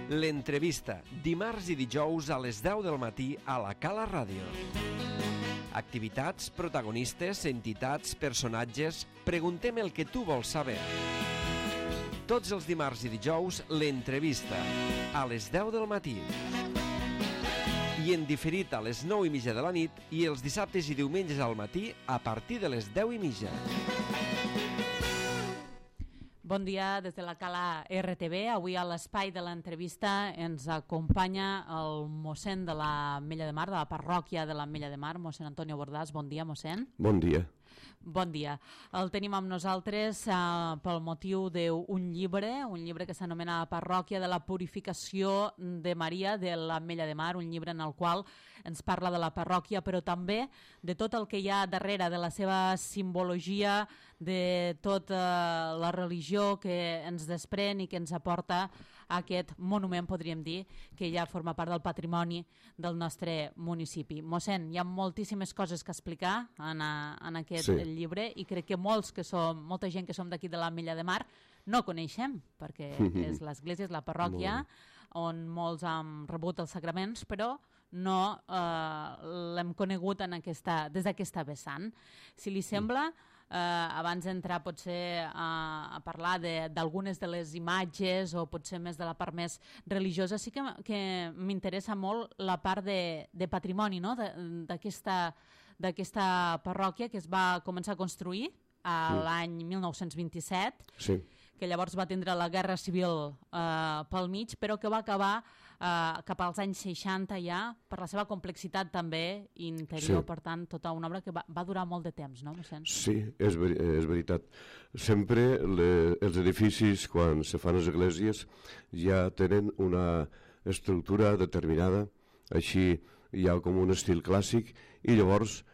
L'entrevista, dimarts i dijous a les 10 del matí a la Cala Ràdio. Activitats, protagonistes, entitats, personatges... Preguntem el que tu vols saber. Tots els dimarts i dijous, l'entrevista, a les 10 del matí. I en diferit a les 9:30 de la nit i els dissabtes i diumenges al matí a partir de les 10:30. Bon dia des de la Cala RTV. Avui a l'espai de l'entrevista ens acompanya el mossèn de l'Ametlla de Mar, de la parròquia de l'Ametlla de Mar, mossèn Antonio Bordàs. Bon dia, mossèn. Bon dia. Bon dia. El tenim amb nosaltres pel motiu d'un llibre que s'anomena La parròquia de la purificació de Maria de l'Ametlla de Mar, un llibre en el qual ens parla de la parròquia, però també de tot el que hi ha darrere, de la seva simbologia, de tota la religió que ens desprèn i que ens aporta aquest monument, podríem dir, que ja forma part del patrimoni del nostre municipi. Mossèn, hi ha moltíssimes coses que explicar en aquest llibre i crec que molta gent que som d'aquí de l'Ametlla de Mar no coneixem, perquè és l'església, és la parròquia on molts han rebut els sacraments, però no l'hem conegut des d'aquesta vessant. Si li sembla, abans d'entrar potser a parlar d'algunes de les imatges o potser més de la part més religiosa, sí que m'interessa molt la part de patrimoni, no? d'aquesta parròquia que es va començar a construir l'any 1927, que llavors va tindre la Guerra Civil pel mig, però que va acabar cap als anys 60 ja, per la seva complexitat també interior, per tant, tota una obra que va durar molt de temps, no, mossèn? Sí, és veritat. Sempre els edificis, quan se fan les esglésies, ja tenen una estructura determinada, així hi ha com un estil clàssic, i llavors,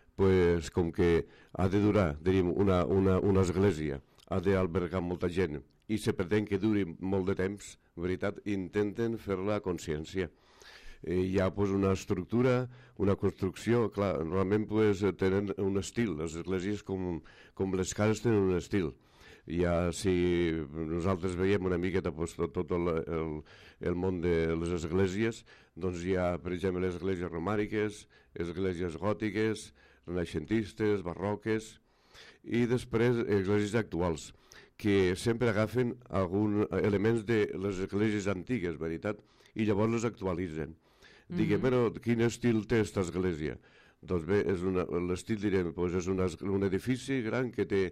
com que ha de durar, diríem, una església, ha d'albergar molta gent i se pretén que duri molt de temps, veritat, intenten fer-la a consciència. Hi ha una estructura, una construcció, clar, normalment tenen un estil, les esglésies com les cases tenen un estil. Ja si nosaltres veiem una miqueta tot el món de les esglésies, doncs hi ha, per exemple, les esglésies romàniques, esglésies gòtiques, renaixentistes, barroques, i després esglésies actuals, que sempre agafen alguns elements de les esglésies antigues, veritat, i llavors les actualitzen. Diguem, però quin estil té aquesta església? Doncs bé, l'estil, direm, és un edifici gran que té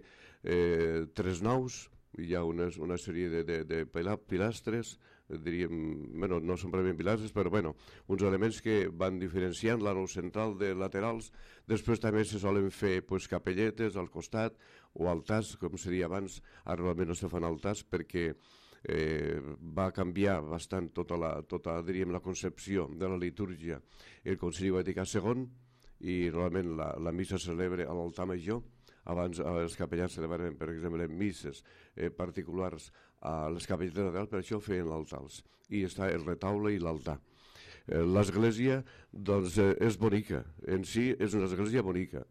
3 naus, hi ha una sèrie de pilastres, diríem, no són prèviament pilastres, però uns elements que van diferenciant la nau central de laterals. Després també se solen fer capelletes al costat o altars, com se deia abans. Ara normalment no se fan altars perquè va canviar bastant tota diríem, la concepció de la litúrgia el Concili Vaticà II, i normalment la missa se celebra a l'altar major. Abans els capellans celebraven, per exemple, misses particulars a les capelletes laterals, per això feien altars, i està el retaule i l'altar. L'església, doncs, és bonica, en si és una església bonica,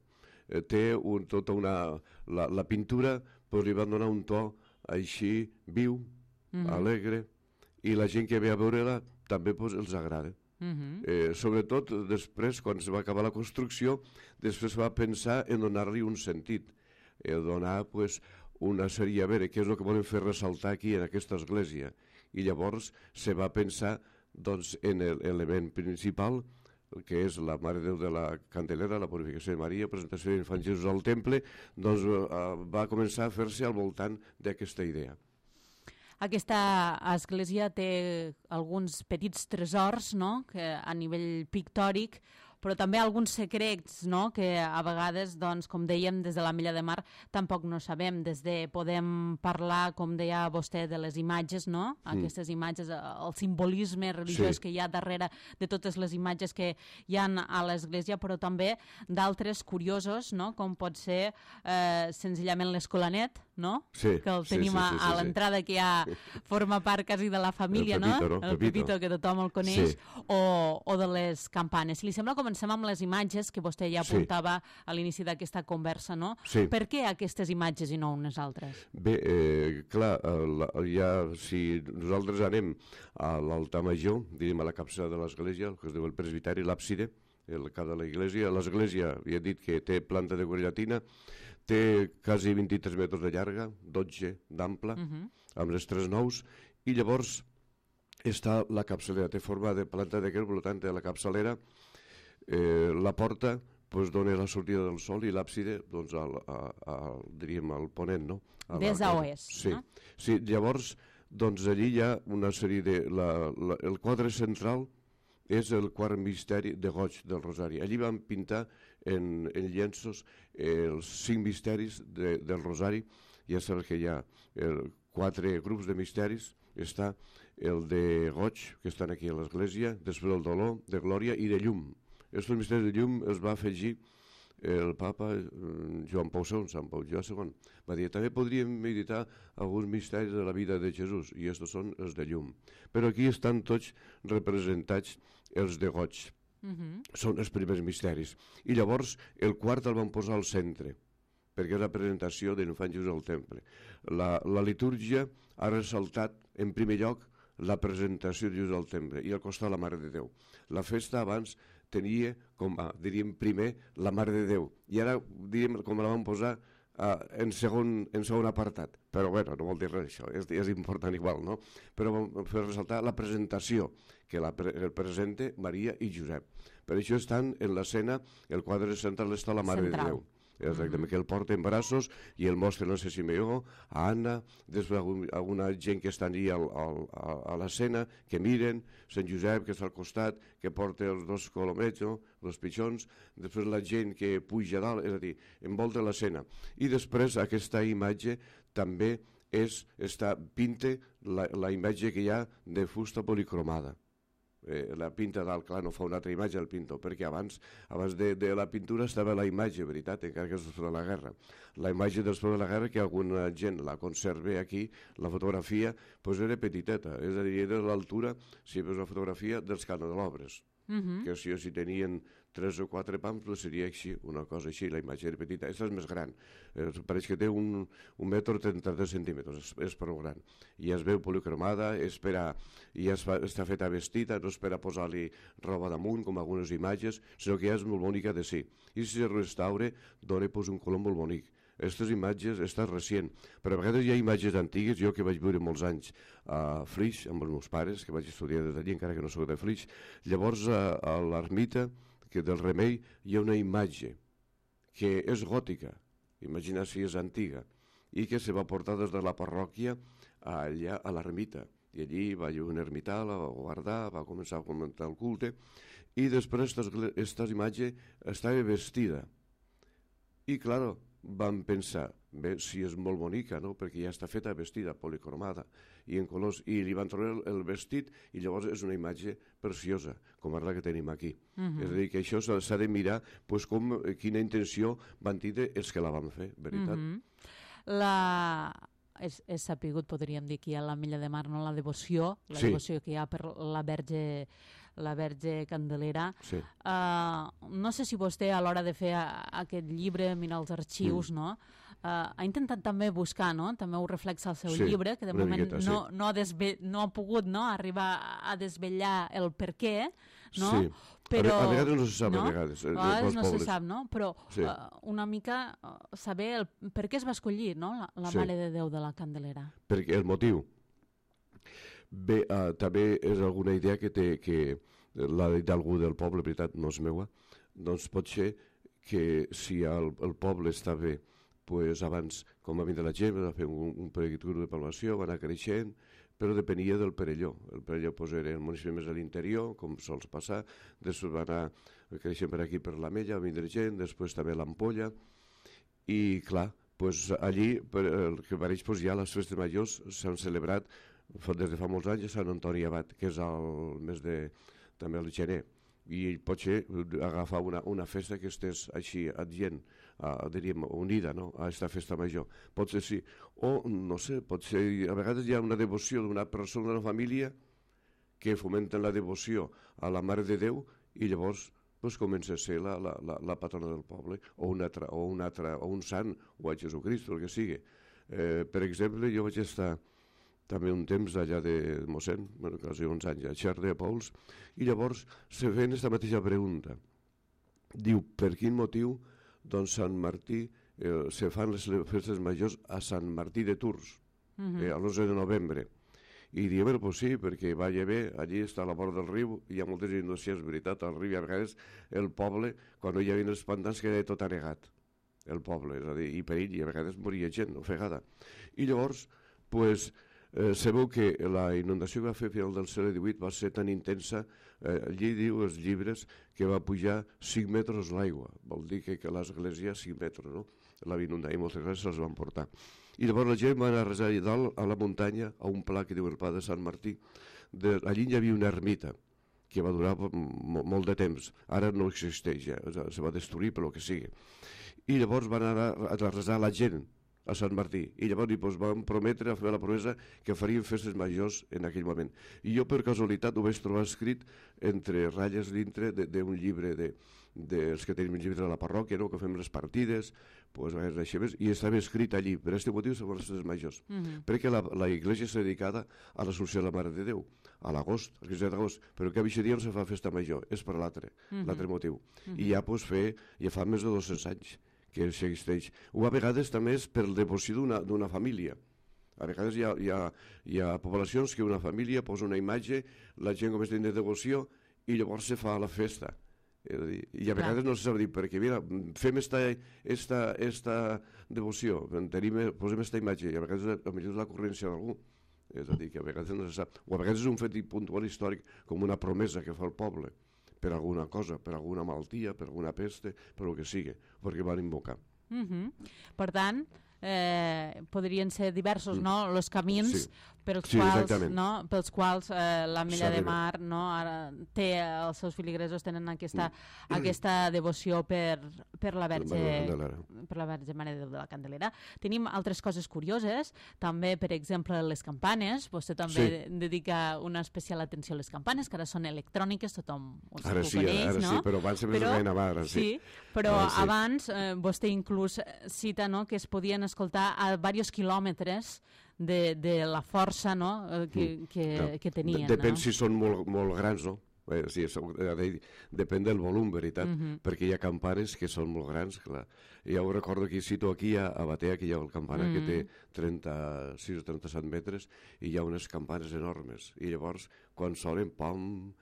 té tota la pintura, li van donar un to així viu, alegre, i la gent que ve a veure-la també els agrada. Sobretot després, quan es va acabar la construcció, després va pensar en donar-li un sentit, donar una sèrie, a veure, què és el que volen fer ressaltar aquí en aquesta església, i llavors se va pensar en l'element principal, que és la Mare de Déu de la Candelera, la purificació de Maria, presentació de l'Infant Jesús al temple, doncs va començar a fer-se al voltant d'aquesta idea. Aquesta església té alguns petits tresors, no?, que a nivell pictòric, però també alguns secrets, no?, que a vegades, doncs, com dèiem, des de l'Ametlla de Mar tampoc no sabem. Podem parlar, com deia vostè, de les imatges, no?, aquestes imatges, el simbolisme religiós que hi ha darrere de totes les imatges que hi ha a l'església, però també d'altres curiosos, no?, com pot ser senzillament l'Escolanet, no?, que el tenim a l'entrada, que ja forma part quasi de la família, no?, el Pepito, que tothom el coneix, o de les campanes. Si li sembla, comencem comencem amb les imatges que vostè ja Sí. apuntava a l'inici d'aquesta conversa, no? Sí. Per què aquestes imatges i no unes altres? Bé, clar, si nosaltres anem a l'altar major, diríem a la capçada de l'església, el que es diu el presbiteri, l'àbside, el cap de l'església, ja he dit que té planta de llatina, té quasi 23 metres de llarga, 12 d'ample, amb les 3 naus, i llavors està la capçalera, té forma de planta de per tant, de la capçalera, la porta dona la sortida del sol i l'àbside diríem al ponent, no? Des a oest, sí. no? Sí, llavors allí hi ha una sèrie de... el quadre central és el quart misteri de goig del Rosari. Allí van pintar en llenços els 5 misteris del Rosari. Ja sabeu que hi ha 4 grups de misteris. Està el de goig, que estan aquí a l'església, després el dolor, de glòria i de llum. Aquests misteris de llum els va afegir el papa Joan Pau II, Sant Pau Joan II. Va dir, també podríem meditar alguns misteris de la vida de Jesús, i aquests són els de llum. Però aquí estan tots representats els de goig. Són els primers misteris. I llavors el quart el van posar al centre, perquè és la presentació de l'infant Jesús al temple. La litúrgia ha ressaltat, en primer lloc, la presentació de Jesús al temple i al costat la Mare de Déu. La festa abans tenia, diríem, primer la Mare de Déu, i ara, diríem, com la van posar en segon apartat. Però, bueno, no vol dir res, això, és important igual, no? Però vam fer ressaltar la presentació, que el presenta Maria i Josep. Per això estan en l'escena, el quadre central està la Mare de Déu. Exactament, que el porta en braços i el mostra, no sé si Simeó, a Anna, després alguna gent que estan allà a l'escena, que miren, Sant Josep, que està al costat, que porta els 2 colomets, no? Els pitjons, després la gent que puja a dalt, és a dir, envolta l'escena. I després aquesta imatge també pinta la imatge que hi ha de fusta policromada. La pinta dalt, clar, no fa una altra imatge el pintor, perquè abans de la pintura estava la imatge, veritat, encara que és després de la guerra. La imatge després de la guerra, que alguna gent la conserva aquí, la fotografia, era petiteta, és a dir, era l'altura, si veus la fotografia, dels candelobres, que si tenien 3 o 4 pams, seria així, una cosa així, la imatge era petita. Aquesta és més gran, pareix que té 1 metre 33 centímetres, és prou gran. I es veu policromada, i està feta vestida, no és per a posar-li roba damunt, com algunes imatges, sinó que ja és molt bonica de si. I si es restaura, dona un color molt bonic. Aquestes imatges estan recient, però a vegades hi ha imatges antigues, jo que vaig viure molts anys a Flix, amb els meus pares, que vaig estudiar des d'allí, encara que no soc de Flix. Llavors, a l'ermita del Remei hi ha una imatge que és gòtica, imagina si és antiga, i que se va portar des de la parròquia allà a l'ermita. I allí va haver un ermità, la va guardar, va començar a comentar el culte, i després aquesta imatge estava vestida. I, clar, vam pensar, bé, si és molt bonica, no?, perquè ja està feta vestida, policromada, i en colors, i li van treure el vestit, i llavors és una imatge preciosa, com és la que tenim aquí. És a dir, que això s'ha de mirar quina intenció van tindre els que la van fer, veritat? És sapigut, podríem dir, que hi ha l'Ametlla de Mar, no? La devoció que hi ha per la Verge Candelera. Sí. No sé si vostè, a l'hora de fer aquest llibre, mirar els arxius, no? Ha intentat també buscar, no? També ho reflexa el seu llibre, que de moment no ha pogut arribar a desvetllar el per què, no? Sí. Però, a vegades no se sap, no? a vegades. A vegades no se sap, no? Però sí. Una mica saber per què es va escollir, no? La Mare de Déu de la Candelera. Perquè el motiu. Bé, també és alguna idea que l'ha dit algú del poble, veritat, no és meua, doncs pot ser que si el poble està bé, pues abans, com va vindre la gent, va fer un període de palmació, va anar creixent, però depenia del Perelló. El Perelló era el municipi més a l'interior, com sols passar, després va anar creixent per aquí, per l'Ametlla, va vindre gent, després també l'Ampolla, i clar, allí, que pareix, ja les festes majors s'han celebrat des de fa molts anys a Sant Antoni Abat, que és el mes de, també el gener, i pot ser agafar una festa que estés així adient, diríem, unida, no?, a aquesta festa major. Pot ser sí, o no sé, pot ser, a vegades hi ha una devoció d'una persona, d'una família, que fomenten la devoció a la Mare de Déu, i llavors doncs comença a ser la patrona del poble, o un sant, o a Jesucrist, el que sigui. Per exemple, jo vaig estar també un temps allà de mossèn, quasi uns anys, a Xerta de Pouls, i llavors se feien aquesta mateixa pregunta. Diu, per quin motiu doncs Sant Martí se fan les festes majors a Sant Martí de Tours, l'11 de novembre. I diem, pues sí, perquè va bé, allí està a la vora del riu, hi ha moltes inundacions, veritat, al riu, i a vegades el poble, quan no hi havia els pantans, quedava tot anegat, el poble, és a dir, i perill, i a vegades moria gent, ofegada. I llavors, pues, sabeu que la inundació que va fer a final del segle XVIII va ser tan intensa, allí diu els llibres que va pujar 5 metres l'aigua, vol dir que l'església 5 metres, no? La va inundar i moltes vegades se'ls van portar. I llavors la gent va anar a resar allà dalt a la muntanya, a un pla que diu el Pla de Sant Martí. Allí hi havia una ermita que va durar molt de temps, ara no existeix ja, se va destruir per lo que sigui. I llavors van anar a resar la gent a Sant Martí, i llavors van prometre, a fer la promesa, que farien festes majors en aquell moment. I jo, per casualitat, ho vaig trobar escrit entre ratlles dintre d'un llibre dels que tenim un llibre de la parròquia, no? Que fem les partides, i estava escrit allí, per aquest motiu són les festes majors, perquè la iglesia és dedicada a l'Assumpció de la Mare de Déu, a l'agost, el 15 d'agost, però que aquest dia no se fa festa major, és per l'altre motiu. I ja fa més de 200 anys que existeix. O a vegades també és per devoció d'una família. A vegades hi ha poblacions que una família posa una imatge, la gent comença a tenir devoció i llavors se fa la festa. I a vegades no se sap dir, perquè mira, fem esta devoció, posem esta imatge, i a vegades és l'ocurrència d'algú. És a dir, que a vegades no se sap. O a vegades és un fet puntual històric, com una promesa que fa el poble, per alguna cosa, per alguna malaltia, per alguna peste, per el que sigui, perquè van invocar. Per tant, podrien ser diversos, no?, els camins pels quals l'Ametlla de Mar té, els seus filigresos tenen aquesta devoció per la Verge Mare de la Candelera. Tenim altres coses curioses, també, per exemple, les campanes. Vostè també dedica una especial atenció a les campanes, que ara són electròniques, tothom ho coneix, no? Ara sí, però abans sempre es veien a sí, però abans vostè inclús cita que es podien escoltar a diversos quilòmetres de la força que tenien. Depèn si són molt grans, no? Sí, depèn del volum, veritat, perquè hi ha campanes que són molt grans, clar. Ja ho recordo que cito aquí a Batea, que hi ha el campana que té 36 o 37 metres, i hi ha unes campanes enormes, i llavors quan sonen, pam,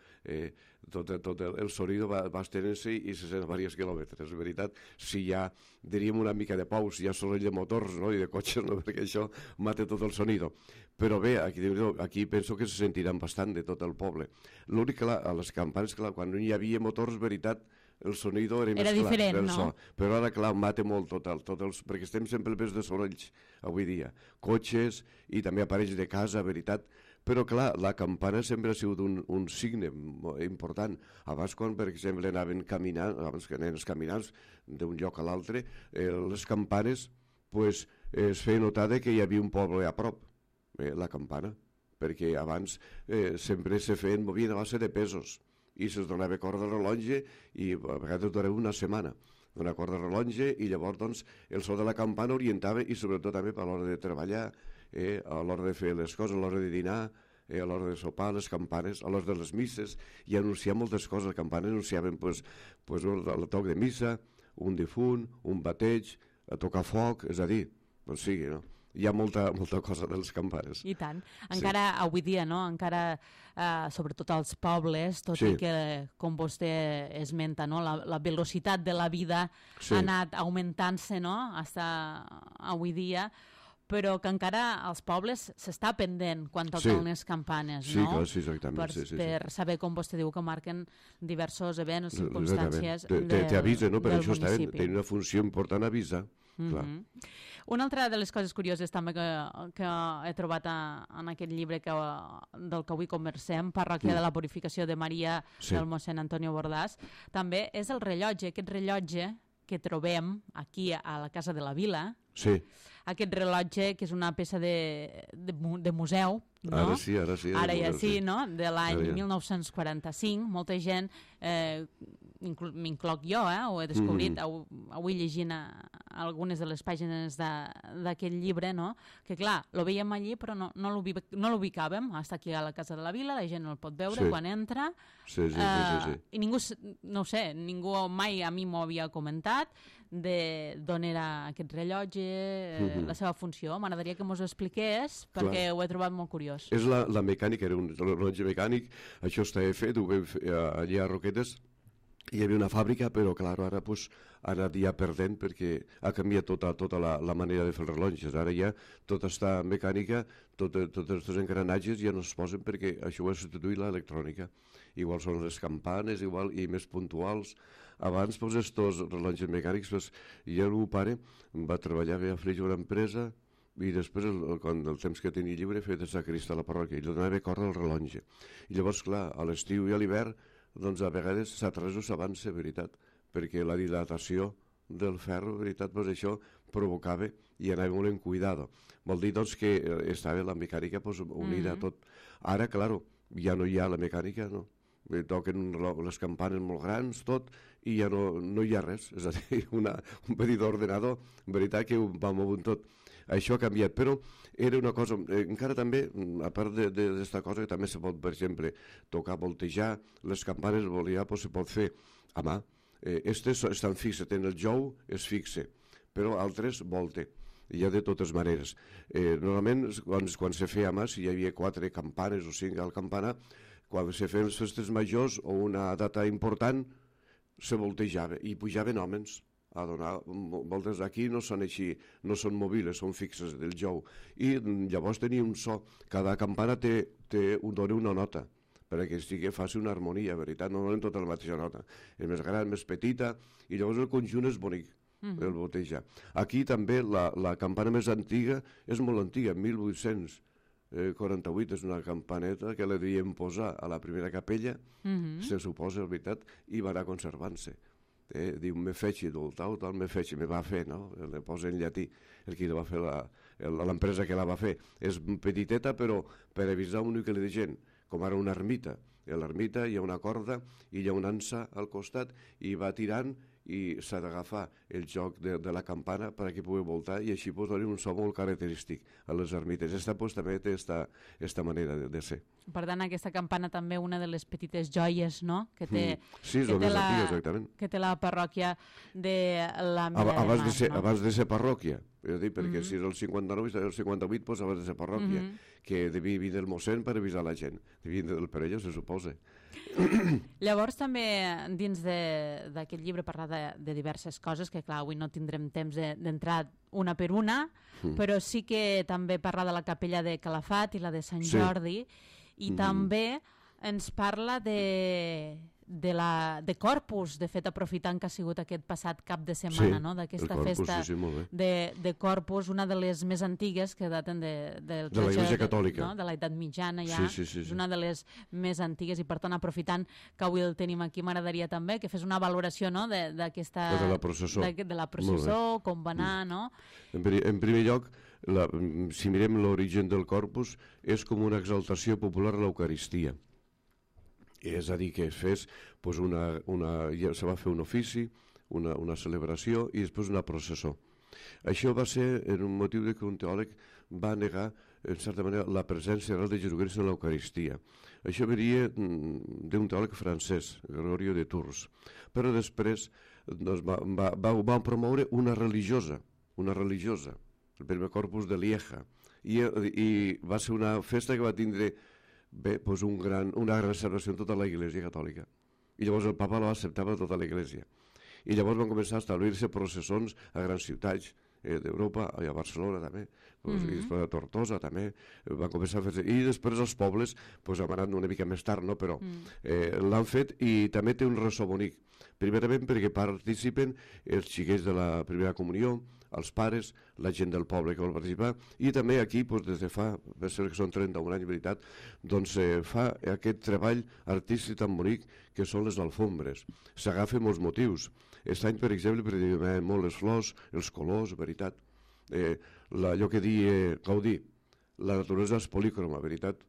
tot el sonido va estenent-se i se sent a diversos quilòmetres. És veritat, si hi ha, diríem, una mica de pau, si hi ha soroll de motors i de cotxes, perquè això mata tot el sonido. Però bé, aquí penso que se sentiran bastant de tot el poble. L'únic que a les campanes, clar, quan no hi havia motors, veritat, el sonido era més clar. Era diferent, no? Però ara, clar, mata molt perquè estem sempre pels de sorolls avui dia. Cotxes i també aparells de casa, veritat. Però, clar, la campana sempre ha sigut un signe important. Abans, quan, per exemple, anaven caminant, abans que anaven els caminants d'un lloc a l'altre, les campanes es feia notar que hi havia un poble a prop, la campana, perquè abans sempre movien a base de pesos i se'ls donava corda de rellotge i a vegades durava una setmana una corda de rellotge i llavors doncs, el so de la campana orientava i sobretot també a l'hora de treballar, a l'hora de fer les coses, a l'hora de dinar, a l'hora de sopar, les campanes, a l'hora de les misses, i anunciar moltes coses. Les campanes anunciaven el toc de missa, un difunt, un bateig, a tocar foc, és a dir, doncs sigui, no? Hi ha molta cosa de les campanes. I tant. Encara avui dia, no? Encara, sobretot als pobles, tot i que, com vostè esmenta, no? La velocitat de la vida ha anat augmentant-se, no? Fins avui dia, però que encara als pobles s'està pendent quan toquen les campanes, no? Sí, clar, sí, exactament. Per saber, com vostè diu, que marquen diversos events, circumstàncies t'avisa, no? Per això tenen una funció important avisar. Una altra de les coses curioses també que he trobat en aquest llibre del que avui conversem, Parròquia de la Purificació de Maria, del mossèn Antonio Bordàs, també és el rellotge, aquest rellotge que trobem aquí a la Casa de la Vila. Sí. Aquest rellotge, que és una peça de museu, no? Ara sí, ara sí. Ara ja sí, no? De l'any ja. 1945, molta gent, m'incloc jo, ho he descobrit avui llegint algunes de les pàgines d'aquest llibre, no? Que clar, lo veiem allí però no l'ubicàvem, està aquí a la Casa de la Vila, la gent el pot veure quan entra, sí. i ningú, no ho sé, ningú mai a mi m'ho havia comentat d'on era aquest rellotge, la seva funció. M'agradaria que mos ho expliqués perquè ho he trobat molt curiós. És la mecànica, era un rellotge mecànic, això estava fet, ho vam fer allà a Roquetes, hi havia una fàbrica, però clar, ara ha anat ja perdent perquè ha canviat tota la manera de fer els rellotges. Ara ja tot està mecànica, tots els engranatges ja no es posen perquè això ho ha substituït l'electrònica. Igual són les campanes, igual, i més puntuals. Abans, estos rellotges mecànics, ja el meu pare va treballar a Flix una empresa i després, quan el temps que tenia lliure, feia de sacrista a la parròquia i li donava córrer el rellotge. I llavors, clar, a l'estiu i a l'hivern, doncs a vegades s'atresa o s'avança, veritat, perquè la dilatació del ferro, veritat, això provocava i anava molt en cuidado. Vol dir, doncs, que estava la mecànica unida a tot. Ara, clar, ja no hi ha la mecànica, no? Toquen les campanes molt grans, tot, i ja no hi ha res. És a dir, un petit ordenador, en veritat que ho va movent tot. Això ha canviat, però era una cosa, encara també, a part d'esta cosa, que també se pot, per exemple, tocar, voltejar, les campanes, se pot fer a mà. Estes estan fixes, tenen el jou, es fixe, però altres volte. Hi ha de totes maneres. Normalment, quan se feia a mà, si hi havia 4 campanes o 5 al campanar, quan se feien les festes majors o una data important, se voltejava i pujaven homes a donar voltes. Aquí no són així, no són mòbiles, són fixes del jou. I llavors tenia un so. Cada campana dona una nota perquè faci una harmonia, veritat, no donen tota la mateixa nota. És més gran, més petita, i llavors el conjunt és bonic, el voltejar. Aquí també la campana més antiga és molt antiga, 1848, és una campaneta que la devien posar a la primera capella, se suposa, veritat, i va anar conservant-se. Diu, me feci, tal, me feci, me va fer, no? Le posa en llatí, el qui la va fer, l'empresa que la va fer. És petiteta, però per avisar un nucli de gent, com ara una ermita. A l'ermita hi ha una corda i hi ha una ansa al costat i va tirant i s'ha d'agafar el joc de la campana perquè pugui voltar i així doni un so molt característic a les ermites. Esta també té esta manera de ser. Per tant, aquesta campana també una de les petites joies, no?, que té, sí, és el més antic, exactament, que té la parròquia de la Mella de Mar. Abans de ser parròquia, perquè si és el 59 i el 58, doncs abans de ser parròquia, que devia venir del mossèn per avisar la gent, devia venir del Perelló, se suposa. Llavors també dins d'aquest llibre parla de diverses coses que clar, avui no tindrem temps d'entrar una per una, però sí que també parla de la capella de Calafat i la de Sant Jordi, i també ens parla de Corpus, de fet aprofitant que ha sigut aquest passat cap de setmana, no? D'aquesta festa de Corpus, una de les més antigues que daten de l'Església Catòlica, de l'edat mitjana ja, és una de les més antigues i per tant aprofitant que avui el tenim aquí m'agradaria també que fes una valoració d'aquesta de la processó, com va anar, no? En primer lloc, si mirem l'origen del Corpus, és com una exaltació popular a l'Eucaristia. És a dir, que es fes, se va fer un ofici, una celebració i després una processó. Això va ser en un motiu que un teòleg va negar, en certa manera, la presència real de Jesucrist en l'Eucaristia. Això venia d'un teòleg francès, Gregorio de Tours. Però després va promoure una religiosa, el primer Corpus de Lieja, i va ser una festa que va tindre una gran celebració en tota la Iglésia Catòlica. I llavors el papa la va acceptar per tota la Iglésia. I llavors van començar a establir-se processons a grans ciutats d'Europa, a Barcelona també, i després a Tortosa també, van començar a fer-se. I després els pobles han anat una mica més tard, però l'han fet i també té un ressò bonic. Primerament perquè participen els xiquets de la primera comunió, els pares, la gent del poble que vol participar, i també aquí, des de fa, que són 31 anys, veritat, doncs fa aquest treball artístic tan bonic que són les alfombres. S'agafen molts motius. Aquest any, per exemple, predominen molt les flors, els colors, veritat. Allò que deia Gaudí, la naturalesa és polícroma, veritat?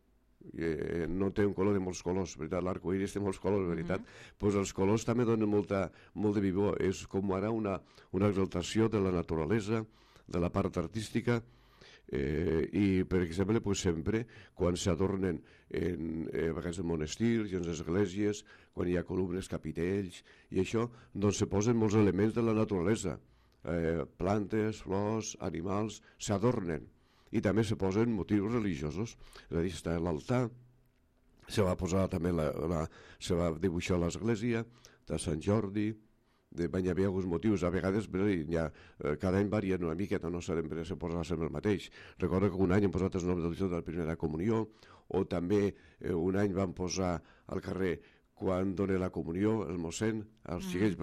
No té un color de molts colors, veritat? L'arcoíris té molts colors, veritat? Pues els colors també donen molt de vivor. És com ara una exaltació de la naturalesa, de la part artística, i per exemple pues, sempre quan s'adornen a vegades en monestirs i en esglésies, quan hi ha columnes, capitells i això, doncs se posen molts elements de la naturalesa, plantes, flors, animals, s'adornen i també se posen motius religiosos, és a dir, està l'altar, se va posar també se va dibuixar l'església de Sant Jordi, hi havia alguns motius, a vegades cada any varien una miqueta, no sempre se posa sempre el mateix. Recordo que un any hem posat els noms del de la primera comunió, o també un any vam posar al carrer quan dona la comunió, el mossèn, els xiquets,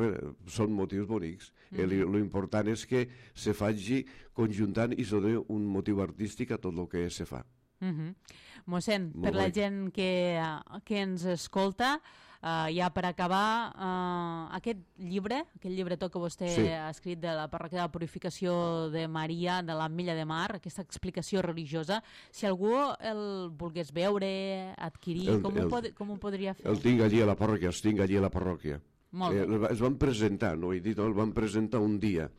són motius bonics. L'important és que se faci conjuntant i se doni un motiu artístic a tot el que se fa. Mossèn, per la gent que ens escolta, ja per acabar, aquest llibretó que vostè ha escrit de la parròquia de la Purificació de Maria de l'Ametlla de Mar, aquesta explicació religiosa, si algú el volgués veure, adquirir, com ho podria fer? El tinc allí a la parròquia, els tinc allí a la parròquia. Es van presentar, no ho he dit, el van presentar un dia.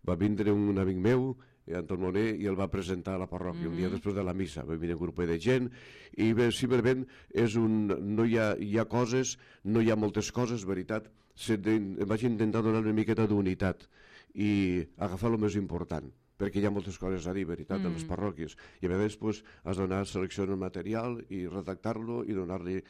Va vindre un amic meu, Anton Moner, i el va presentar a la parròquia un dia després de la missa. Va venir un grup de gent i simplement no hi ha coses, no hi ha moltes coses, veritat. Vaig intentar donar una miqueta d'unitat i agafar el més important, perquè hi ha moltes coses a dir, veritat, de les parròquies. I a vegades has d'anar seleccionant el material i redactar-lo i donar-li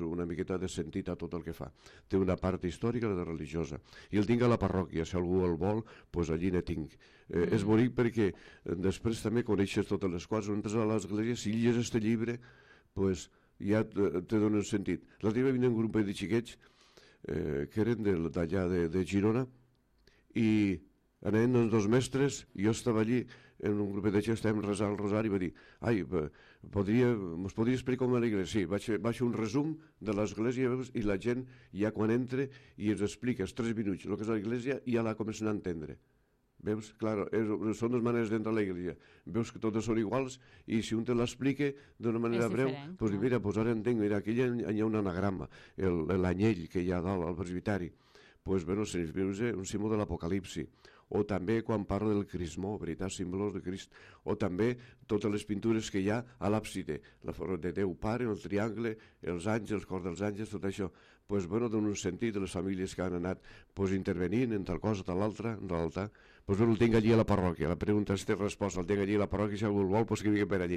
una miqueta de sentit a tot el que fa. Té una part històrica i religiosa. I el tinc a la parròquia, si algú el vol, allí ne tinc. És bonic perquè després també coneixes totes les coses. Quan entres a l'església, si llegeixes aquest llibre, ja te dona un sentit. L'altre dia va venir un grup de xiquets que eren d'allà de Girona i anaven els dos mestres, jo estava allí en un grup de gent, estàvem resant el rosari i va dir, mos podria explicar com a l'església? Sí, vaig fer un resum de l'església i la gent ja quan entra i ens explica els 3 minuts el que és l'església i ja la comencen a entendre. Veus? Clar, són dues maneres d'entrar a l'església. Veus que totes són iguals i si un te l'explica d'una manera breu, doncs mira, ara entenc, mira, aquí hi ha un anagrama, l'anyell que hi ha dalt al presbiteri. Doncs, bueno, se'ns veus un símbol de l'Apocalipsi. O també quan parla del crismó, veritat, símbols de Crist. O també totes les pintures que hi ha a l'àpside, la forma de Déu Pare, el triangle, els àngels, el cor dels àngels, tot això. Doncs, bueno, dona un sentit de les famílies que han anat intervenint en tal cosa, tal altra, en l'altar. Doncs el tinc allí a la parròquia. La pregunta és resposta, el tinc allí a la parròquia, si algú el vol, que vingui per allí.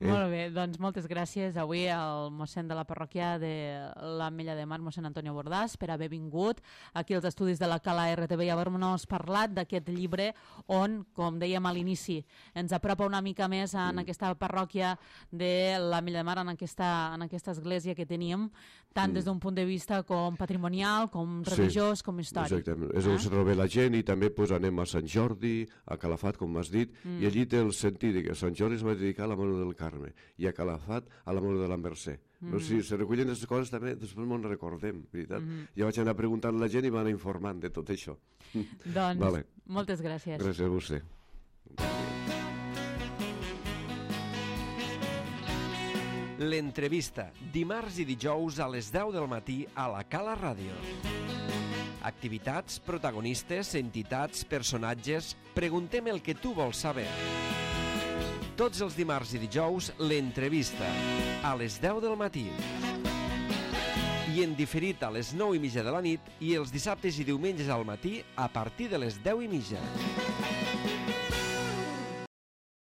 Molt bé, doncs moltes gràcies avui al mossèn de la parròquia de l'Ametlla de Mar, mossèn Antonio Bordàs, per haver vingut aquí als estudis de la Cala RTV i haver-nos parlat d'aquest llibre on, com dèiem a l'inici, ens apropa una mica més en aquesta parròquia de l'Ametlla de Mar, en aquesta església que tenim, tant des d'un punt de vista com patrimonial, com religiós, com històric. Exactament, és on se troba la gent i també anem a Sant Jordi, a Calafat, com m'has dit, i allí té el sentit que Sant Jordi es va dedicar a la Mare del Carme i a Calafat a la Mare de la Mercè. Si se recullen aquestes coses també, després m'ho recordem, veritat? Ja vaig anar preguntant a la gent i m'han informant de tot això. Doncs, moltes gràcies. Gràcies a vostè. L'entrevista, dimarts i dijous a les 10 del matí a la Cala Ràdio. Activitats, protagonistes, entitats, personatges... Preguntem el que tu vols saber. Tots els dimarts i dijous, l'entrevista, a les 10 del matí. I en diferit a les 9:30 de la nit i els dissabtes i diumenges al matí a partir de les 10:30.